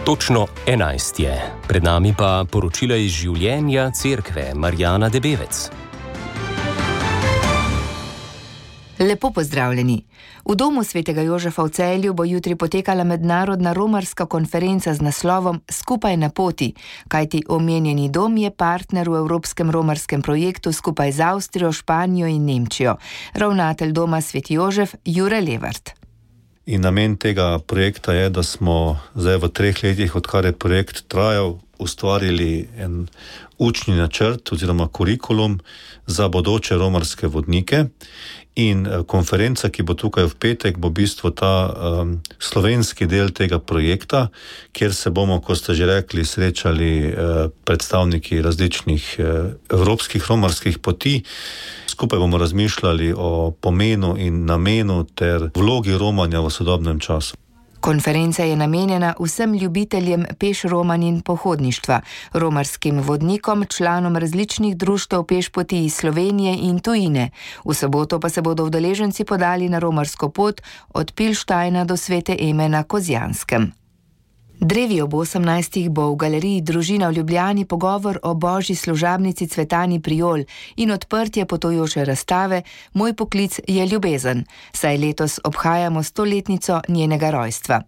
Točno 11 je. Pred nami pa poročila iz življenja cerkve Marjana Debevec. Lepo pozdravljeni. V domu svetega Jožefa v Celju bo jutri potekala mednarodna romarska konferenca z naslovom Skupaj na poti, kajti omenjeni dom je partner v Evropskem romarskem projektu skupaj z Avstrijo, Španijo in Nemčijo. Ravnatelj doma Sveti Jožef Jure Levart. In namen tega projekta je, da smo zdaj v 3 letih, odkar je projekt trajal, ustvarili en učni načrt oziroma kurikulum za bodoče romarske vodnike. In konferenca, ki bo tukaj v petek, bo v bistvu ta slovenski del tega projekta, kjer se bomo, kot ste že rekli, srečali predstavniki različnih evropskih romarskih poti. Skupaj bomo razmišljali o pomenu in namenu ter vlogi romanja v sodobnem času. Konferenca je namenjena vsem ljubiteljem peš romanj in pohodništva, romarskim vodnikom, članom različnih društev pešpoti iz Slovenije in tujine. V soboto pa se bodo udeleženci podali na romarsko pot od Pilštajna do Svete Eme na Kozjanskem. Drevi ob 18. bo v galeriji Družina v Ljubljani pogovor o božji služabnici Cvetani Prijol in odprtje potujoče razstave Moj poklic je ljubezen, saj letos obhajamo 100-letnico njenega rojstva.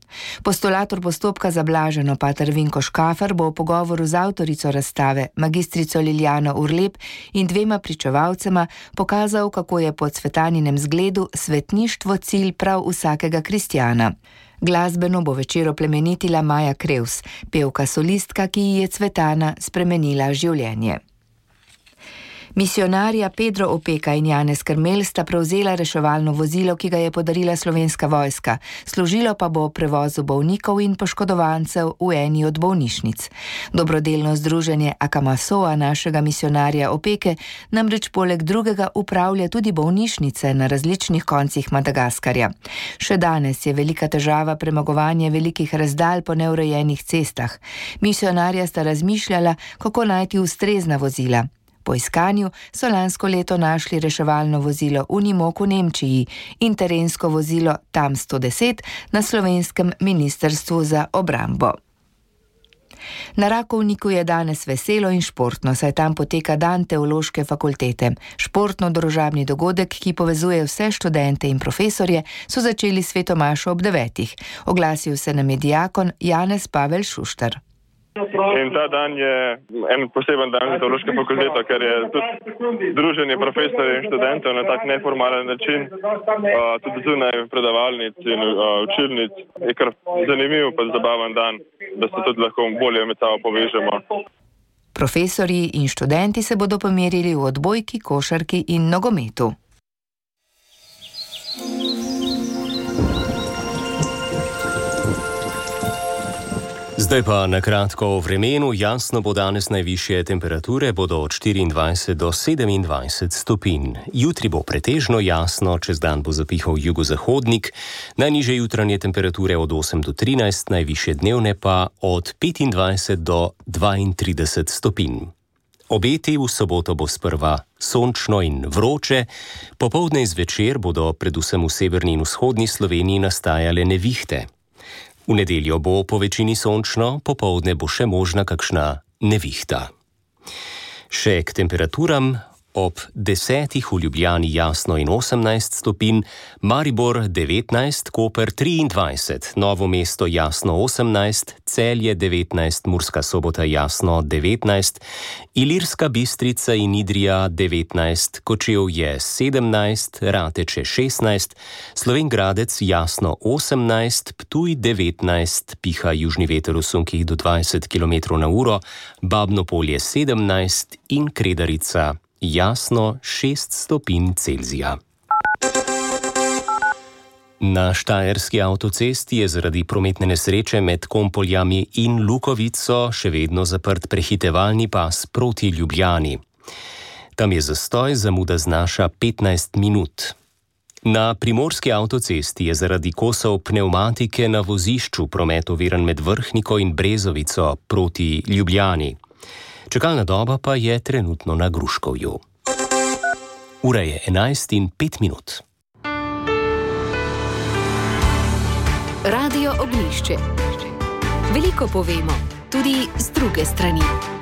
Postulator postopka za blaženo pater Vinko Škafar bo v pogovoru z avtorico razstave, magistrico Liljano Urlep in 2 pričevalcema pokazal, kako je po Cvetaninem zgledu svetništvo cilj prav vsakega kristjana. Glasbeno bo večer oplemenitila Maja Krevs, pevka solistka, ki ji je Cvetana spremenila življenje. Misionarja Pedro Opeka in Janez Krmelj sta prevzela reševalno vozilo, ki ga je podarila Slovenska vojska. Služilo pa bo prevozu bolnikov in poškodovancev v eni od bolnišnic. Dobrodelno združenje Akamasoa našega misionarja Opeke namreč poleg drugega upravlja tudi bolnišnice na različnih koncih Madagaskarja. Še danes je velika težava premagovanje velikih razdalj po neurejenih cestah. Misionarja sta razmišljala, kako najti ustrezna vozila. Po iskanju so lansko leto našli reševalno vozilo Unimog v Nemčiji in terensko vozilo TAM 110 na slovenskem ministrstvu za obrambo. Na Rakovniku je danes veselo in športno, saj tam poteka dan teološke fakultete. Športno-družabni dogodek, ki povezuje vse študente in profesorje, so začeli svetomašo ob 9. Oglasil se nam je diakon Janez Pavel Šuštar. In ta dan je en poseben dan za teološko fakulteto, ker je tudi druženje profesorjev in študentov na tak neformalen način, tudi zunaj predavalnic in učilnic. Je kar zanimiv pa zabaven dan, da se tudi lahko bolje med sabo povežemo. Profesorji in študenti se bodo pomerili v odbojki, košarki in nogometu. Zdaj pa na kratko o vremenu. Jasno bo danes, najvišje temperature bodo od 24 do 27 stopinj. Jutri bo pretežno jasno, čez dan bo zapihal jugozahodnik, najnižje jutranje temperature od 8 do 13, najvišje dnevne pa od 25 do 32 stopinj. Obeti v soboto bo sprva sončno in vroče, popoldne in zvečer bodo predvsem v severni in vzhodni Sloveniji nastajale nevihte. V nedeljo bo po večini sončno, popoldne bo še možna kakšna nevihta. Še k temperaturam. Ob 10 v Ljubljani jasno in 18 stopinj, Maribor 19, Koper 23, Novo mesto jasno 18, Celje 19, Murska Sobota jasno 19, Ilirska Bistrica in Idrija 19, Kočevje 17, Rateče 16, Slovenj Gradec jasno 18, Ptuj 19, piha južni veter v sunkih do 20 km/h, Babno Polje 17 in Kredarica jasno 6 stopinj Celzija. Na štajerski avtocesti je zaradi prometne nesreče med Kompoljami in Lukovico še vedno zaprt prehitevalni pas proti Ljubljani. Tam je zastoj, zamuda znaša 15 minut. Na primorski avtocesti je zaradi kosov pnevmatike na vozišču promet oviran med Vrhniko in Brezovico proti Ljubljani. Čakalna doba pa je trenutno na Gruškovju. Ura je 11:05. Radio Oglišče. Veliko povemo, tudi z druge strani.